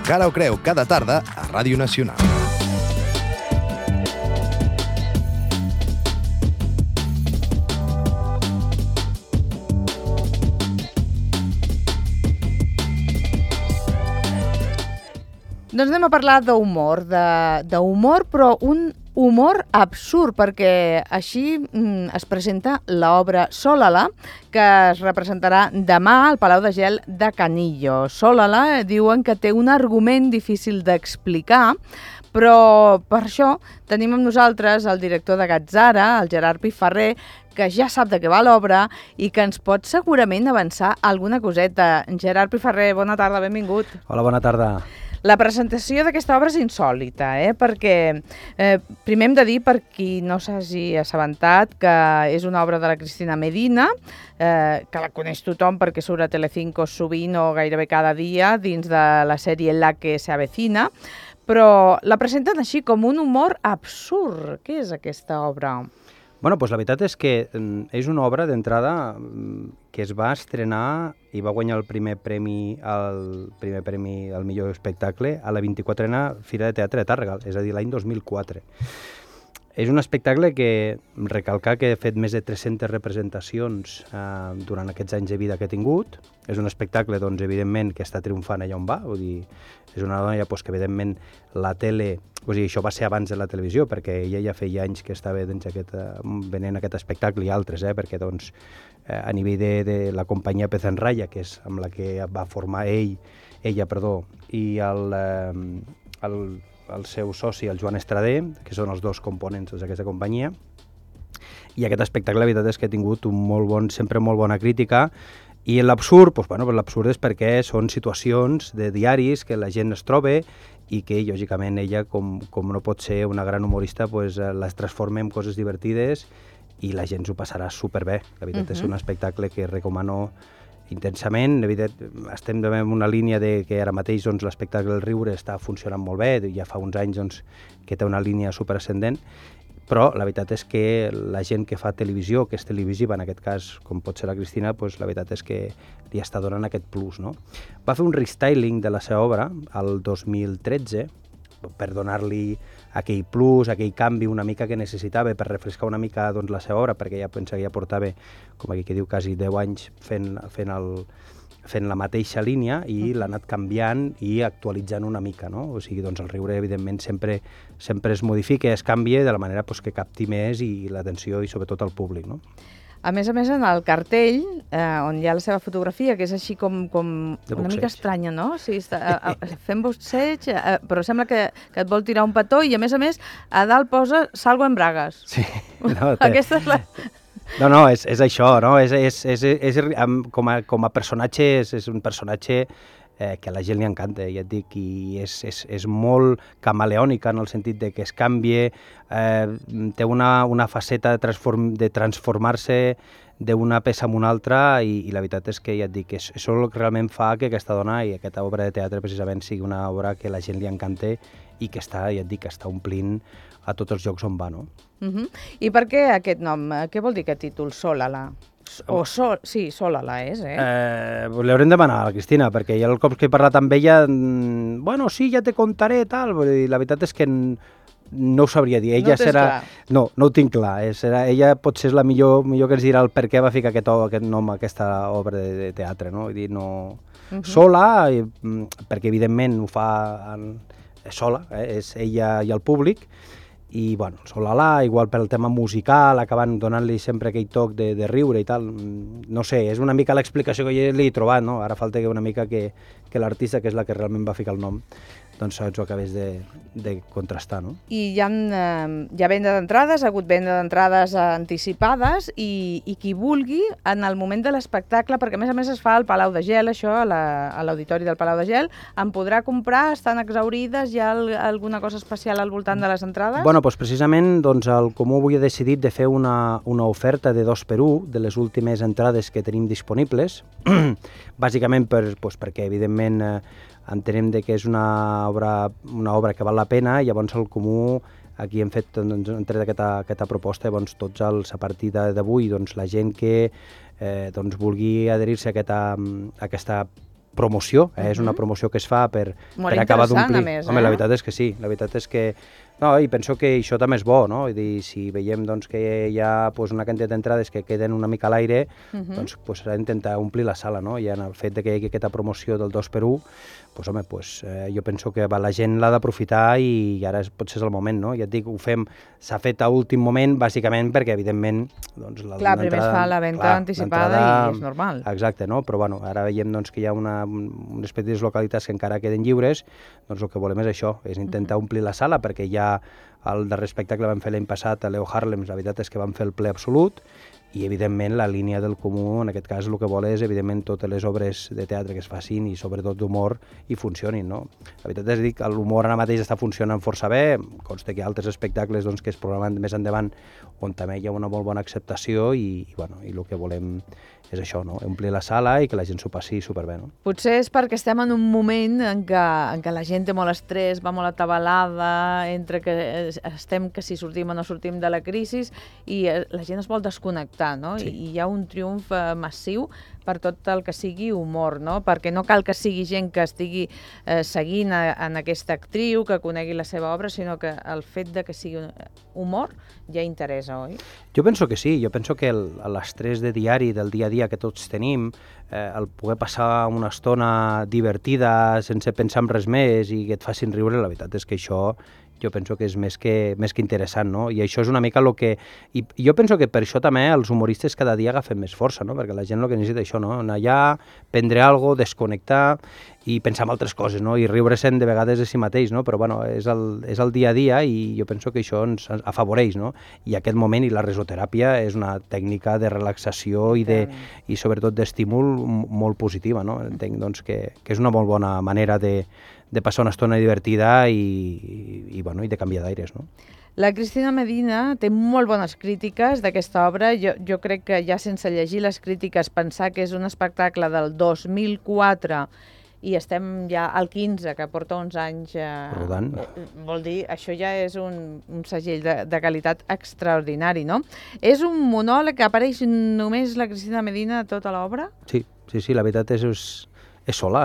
Cara o creu cada tarda a Ràdio Nacional. Doncs anem a parlar d'humor, però un humor absurd, perquè així es presenta l'obra Sólala, que es representarà demà al Palau de Gel de Canillo. Sólala diuen que té un argument difícil d'explicar, però per això tenim amb nosaltres el director de Gatzara, el Gerard Piferrer, que ja sap de què va l'obra i que ens pot segurament avançar alguna coseta. Gerard Piferrer, bona tarda, benvingut. Hola, bona tarda. La presentació d'aquesta obra és insòlita, perquè primer hem de dir, per qui no s'hagi assabentat, que és una obra de la Cristina Medina, que la coneix tothom perquè surt a Telecinco sovint o gairebé cada dia dins de la sèrie La que se avecina, però la presenten així com un humor absurd. Què és aquesta obra? Bueno, doncs la veritat és que és una obra d'entrada que es va estrenar i va guanyar el primer premi al millor espectacle a la 24a Fira de Teatre de Tàrrega, és a dir, l'any 2004. És un espectacle que recalcar que he fet més de 300 representacions durant aquests anys de vida que he tingut. És un espectacle, doncs, evidentment, que està triomfant allà on va. Vull dir, és una dona que, evidentment, la tele... Vull dir, això va ser abans de la televisió, perquè ella ja feia anys que estava venent aquest espectacle i altres, perquè, doncs, a nivell de la companyia Pez en Raya, que és amb la que va formar ella, i el seu soci, el Joan Estrader, que són els dos components d'aquesta companyia. I aquest espectacle, la veritat és que ha tingut sempre molt bona crítica. I l'absurd, l'absurd és perquè són situacions de diaris que la gent es troba i que, lògicament, ella, com no pot ser una gran humorista, les transforma en coses divertides i la gent s'ho passarà superbé. La veritat és un espectacle que recomano intensament. Estem en una línia que ara mateix l'espectacle del riure està funcionant molt bé, ja fa uns anys que té una línia superascendent, però la veritat és que la gent que fa televisió, que és televisiva, en aquest cas, com pot ser la Cristina, la veritat és que li està donant aquest plus, no? Va fer un restyling de la seva obra el 2013 per donar-li aquell plus, aquell canvi una mica que necessitava per refrescar una mica la seva obra, perquè ja pensa que ja portava, com aquí que diu, quasi 10 anys fent la mateixa línia i l'ha anat canviant i actualitzant una mica, no? O sigui, el riure, evidentment, sempre es modifica, es canvia de la manera que capti més i l'atenció i sobretot el públic, no? A més, en el cartell, on hi ha la seva fotografia, que és així com una mica estranya, no? Sí, està fent boxeig, però sembla que et vol tirar un petó i, a més, a dalt posa «Salgo en bragues». Sí. No, aquesta és la... No, és això, no? Com a personatge, és un personatge que a la gent li encanta, ja et dic, i és molt camaleònica en el sentit de que es canvia, té una faceta de transformar-se d'una peça en una altra i la veritat és que, ja et dic, és el que realment fa que aquesta dona i aquesta obra de teatre precisament sigui una obra que a la gent li encanta i que està, ja et dic, està omplint a tots els llocs on va, no? I per què aquest nom? Què vol dir aquest títol, Sólala? Sí, Sólala és, L'haurem de demanar a la Cristina, perquè ja el cop que he parlat amb ella, bueno, sí, ja te contaré, tal, la veritat és que no ho sabria dir. Ella no ho tinc clar. Ella potser és la millor que ens dirà el per què va ficar aquest nom a aquesta obra de teatre, no? Vull dir, no... Sola, perquè evidentment ho fa sola, és ella i el públic, i, bueno, Sólala, igual pel tema musical, acabant donant-li sempre aquell toc de riure i tal. No sé, és una mica l'explicació que jo li he trobat, no? Ara falta una mica que l'artista, que és la que realment va ficar el nom, doncs ho acabés de contrastar, no? I hi ha venda d'entrades, ha hagut venda d'entrades anticipades i qui vulgui, en el moment de l'espectacle, perquè a més es fa al Palau de Gel, això, a l'auditori del Palau de Gel, en podrà comprar, estan exaurides, hi ha alguna cosa especial al voltant de les entrades? Bueno, doncs precisament el Comú avui ha decidit de fer una oferta de 2x1 de les últimes entrades que tenim disponibles, bàsicament perquè, evidentment, entenem que és una obra que val la pena, i llavors el Comú aquí hem tret aquesta proposta, llavors tots a partir d'avui la gent que vulgui adherir-se a aquesta promoció, és una promoció que es fa per acabar d'omplir. Home, la veritat és que sí, la veritat és que... No, i penso que això també és bo, no? Vull dir, si veiem doncs, que hi ha una quantitat d'entrades que queden una mica a l'aire, doncs s'ha d'intentar omplir la sala, no? I en el fet que hi hagi aquesta promoció del 2x1, doncs, home, jo penso que la gent l'ha d'aprofitar i ara potser és el moment, no? Ja et dic, s'ha fet a últim moment, bàsicament perquè, evidentment... Doncs, clar, primer es fa la venda anticipada i és normal. Exacte, no? Però bueno, ara veiem doncs, que hi ha unes petites localitats que encara queden lliures, doncs el que volem és això, és intentar omplir la sala, perquè ja el darrer espectacle vam fer l'any passat a Leo Harlem, la veritat és que vam fer el ple absolut, i evidentment la línia del Comú en aquest cas el que vol és evidentment totes les obres de teatre que es facin i sobretot d'humor i funcionin, no? La veritat és que l'humor ara mateix està funcionant força bé, consta que hi ha altres espectacles doncs, que es programen més endavant on també hi ha una molt bona acceptació i el que volem és això, no? Omplir la sala i que la gent s'ho passi superbé, no? Potser és perquè estem en un moment en què la gent té molt estrès, va molt atabalada, entre que estem que si sortim o no sortim de la crisi i la gent es vol desconnectar, no? Sí. I hi ha un triomf massiu per tot el que sigui humor, no? Perquè no cal que sigui gent que estigui seguint en aquesta actriu, que conegui la seva obra, sinó que el fet de que sigui humor ja interessa, oi? Jo penso que sí, jo penso que l'estrès de diari, del dia a dia que tots tenim, el poder passar una estona divertida sense pensar en res més i que et facin riure, la veritat és que això jo penso que és més que interessant, no? I això és una mica el que... I jo penso que per això també els humoristes cada dia agafen més força, no? Perquè la gent el que necessita això, no? Anar allà, prendre alguna cosa, desconnectar i pensar en altres coses, no? I riure-se'n de vegades de si mateix, no? Però, bueno, és el dia a dia i jo penso que això ens afavoreix, no? I aquest moment i la risoteràpia és una tècnica de relaxació i sobretot d'estímul molt positiva, no? Entenc, doncs, que és una molt bona manera de passar una estona divertida i de canviar d'aires, no? La Cristina Medina té molt bones crítiques d'aquesta obra. Jo crec que ja sense llegir les crítiques pensar que és un espectacle del 2004 i estem ja al 15, que porta uns anys... Rodant. Vol dir, això ja és un segell de qualitat extraordinari, no? És un monòleg que apareix només la Cristina Medina a tota l'obra? Sí, la veritat és sola,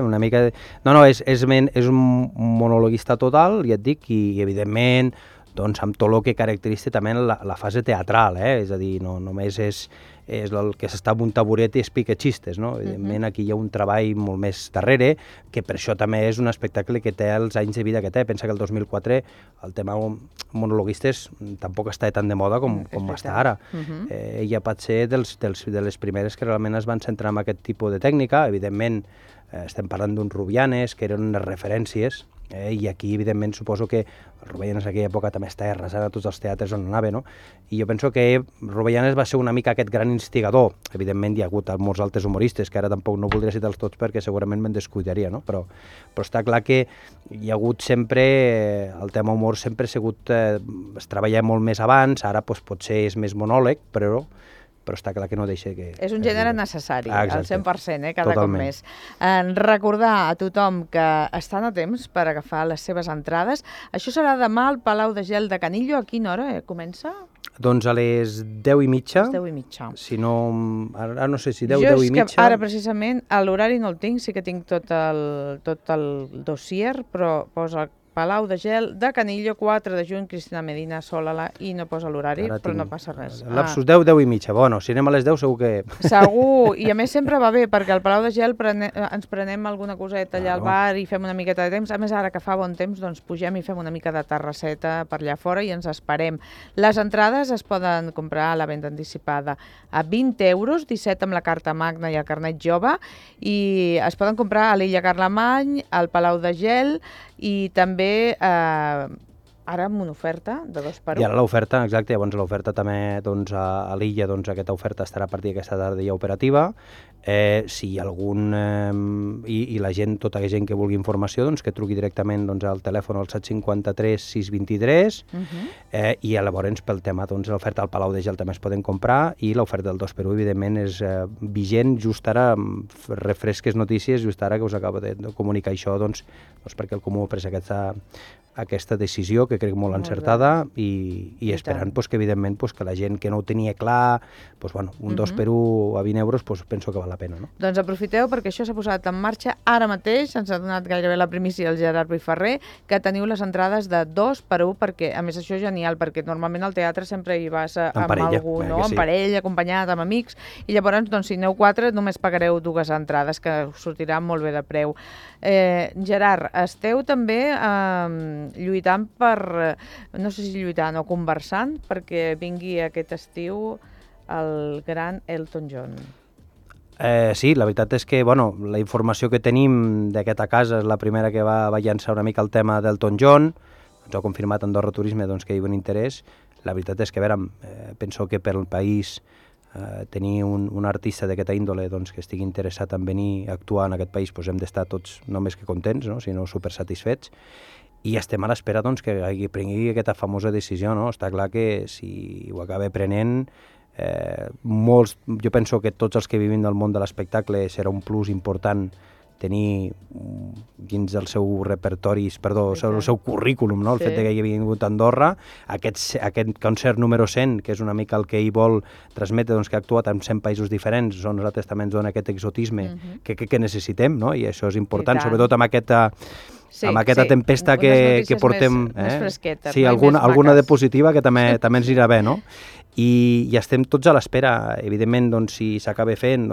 una mica... No, és un monologuista total, ja et dic, i evidentment, doncs, amb tot el que caracteritza també la fase teatral, és a dir, no només és el que s'està en un taburet i explica xistes, no? Evidentment, aquí hi ha un treball molt més darrere, que per això també és un espectacle que té els anys de vida que té. Pensa que el 2004 el tema monologuistes tampoc està tan de moda com està ara. Ella pot ser de les primeres que realment es van centrar en aquest tipus de tècnica. Evidentment, estem parlant d'uns Rubianes, que eren unes referències, i aquí, evidentment, suposo que el Rubianes en aquella època també estava arrasant a tots els teatres on anava, no? I jo penso que Rubianes va ser una mica aquest gran instigador. Evidentment, hi ha hagut molts altres humoristes, que ara tampoc no voldria citar-los tots perquè segurament me'n descuidaria, no? Però està clar que hi ha hagut sempre... El tema humor sempre ha sigut... es treballa molt més abans, ara potser és més monòleg, però està clar que no deixa que... És un gènere necessari, al 100%, cada Totalment. cop més. Recordar a tothom que estan a temps per agafar les seves entrades. Això serà demà al Palau de Gel de Canillo. A quina hora comença? Doncs a les 10:30. A les 10:30. Si no... Ara no sé si 10:30. Jo és que ara, precisament, l'horari no el tinc, sí que tinc tot el dossier, però posa Palau de Gel de Canillo, 4 de juny, Cristina Medina, Sólala, i no posa l'horari, però no passa res. Lapsus 10:30. Bueno, si anem a les 10 segur que... Segur, i a més sempre va bé, perquè al Palau de Gel ens prenem alguna coseta allà al bar i fem una miqueta de temps. A més, ara que fa bon temps, doncs pugem i fem una mica de terrasseta per allà fora i ens esperem. Les entrades es poden comprar a la venda anticipada a 20 euros, 17 amb la carta magna i el carnet jove, i es poden comprar a l'Illa Carlemany, al Palau de Gel, i també ara amb una oferta de 2x1. I ara l'oferta, exacte, llavors l'oferta també doncs, a l'Illa, doncs aquesta oferta estarà a partir d'aquesta tarda ja operativa. Si hi ha algun... I la gent, tota la gent que vulgui informació, doncs que truqui directament doncs, al telèfon al 753 623 i llavors pel tema doncs, l'oferta al Palau de Gel també es poden comprar i l'oferta del 2x1 evidentment és vigent just ara, refresques notícies, just ara que us acabo de comunicar això doncs perquè el Comú ha pres aquesta decisió que crec molt encertada i esperant que evidentment que la gent que no ho tenia clar, un 2x1 a 20 euros penso que val la la pena, no? Doncs aprofiteu perquè això s'ha posat en marxa ara mateix, ens ha donat gairebé la primícia el Gerard Piferrer, que teniu les entrades de 2 per 1, perquè a més això és genial, perquè normalment al teatre sempre hi vas amb parella, algú, no? sí. En parella, acompanyat, amb amics, i llavors, doncs, si aneu 4, només pagareu 2 entrades, que us sortirà molt bé de preu. Gerard, esteu també lluitant per, no sé si lluitant o conversant, perquè vingui aquest estiu el gran Elton John. Sí, la veritat és que la informació que tenim d'aquesta casa és la primera que va llançar una mica el tema d'Elton John, ens ho ha confirmat Andorra Turisme que hi ha un interès. La veritat és que, penso que per al país tenir un artista d'aquesta índole que estigui interessat en venir a actuar en aquest país, hem d'estar tots no més que contents, sinó supersatisfets, i estem a l'espera que prengui aquesta famosa decisió. Està clar que si ho acaba prenent, jo penso que tots els que vivim del món de l'espectacle serà un plus important tenir dins del seu repertori, el seu currículum, el fet que hi hagi vingut a Andorra, aquest concert número 100, que és una mica el que ell vol transmetre, que ha actuat en 100 països diferents, nosaltres també ens dona aquest exotisme que necessitem, i això és important, sobretot amb aquesta tempesta que portem. Més fresquetes. Sí, alguna de positiva que també ens anirà bé, no? I estem tots a l'espera. Evidentment, si s'acaba fent,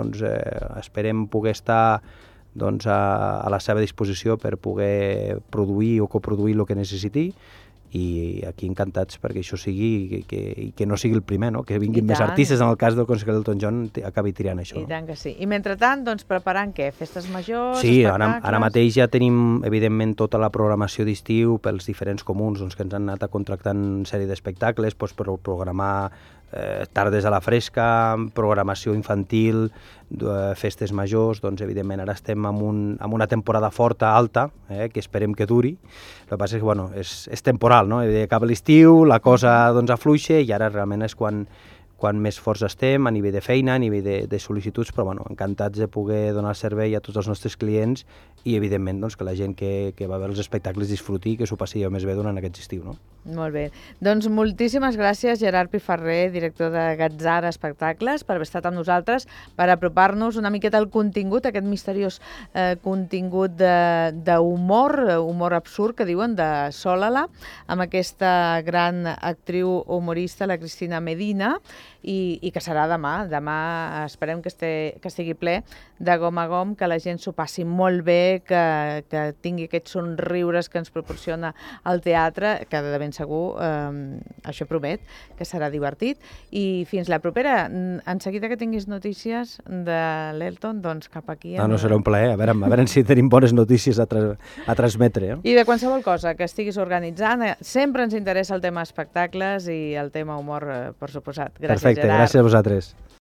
esperem poder estar a la seva disposició per poder produir o coproduir el que necessiti, i aquí encantats perquè això sigui i que no sigui el primer, que vinguin més artistes, en el cas del concert d'Elton John acabi triant això. I tant que sí. I mentrestant, preparant què? Festes majors, sí, espectacles? Ara mateix ja tenim, evidentment, tota la programació d'estiu pels diferents comuns que ens han anat contractant una sèrie d'espectacles per programar tardes a la fresca, programació infantil, festes majors. Evidentment, ara estem en una temporada forta, alta, que esperem que duri. El que passa és que és temporal, no? Acaba l'estiu, la cosa afluixa, i ara realment és quan més forts estem a nivell de feina, a nivell de sol·licituds, però encantats de poder donar servei a tots els nostres clients i, evidentment, que la gent que va veure els espectacles disfruti i que s'ho passi més bé durant aquest estiu, no? Molt bé. Doncs moltíssimes gràcies, Gerard Piferrer, director de Gatzara Espectacles, per haver estat amb nosaltres, per apropar-nos una miqueta al contingut, aquest misteriós contingut d'humor, humor absurd, que diuen, de Sólala, amb aquesta gran actriu humorista, la Cristina Medina, i que serà demà. Demà esperem que estigui ple de gom a gom, que la gent s'ho passi molt bé, que tingui aquests somriures que ens proporciona el teatre, que de ben segur això promet, que serà divertit. I fins la propera. En seguida que tinguis notícies de l'Elton, doncs cap aquí. No, serà un plaer. A veure si tenim bones notícies a transmetre. I de qualsevol cosa que estiguis organitzant, sempre ens interessa el tema espectacles i el tema humor, per suposat. Gràcies, Perfecte, gràcies a vosaltres.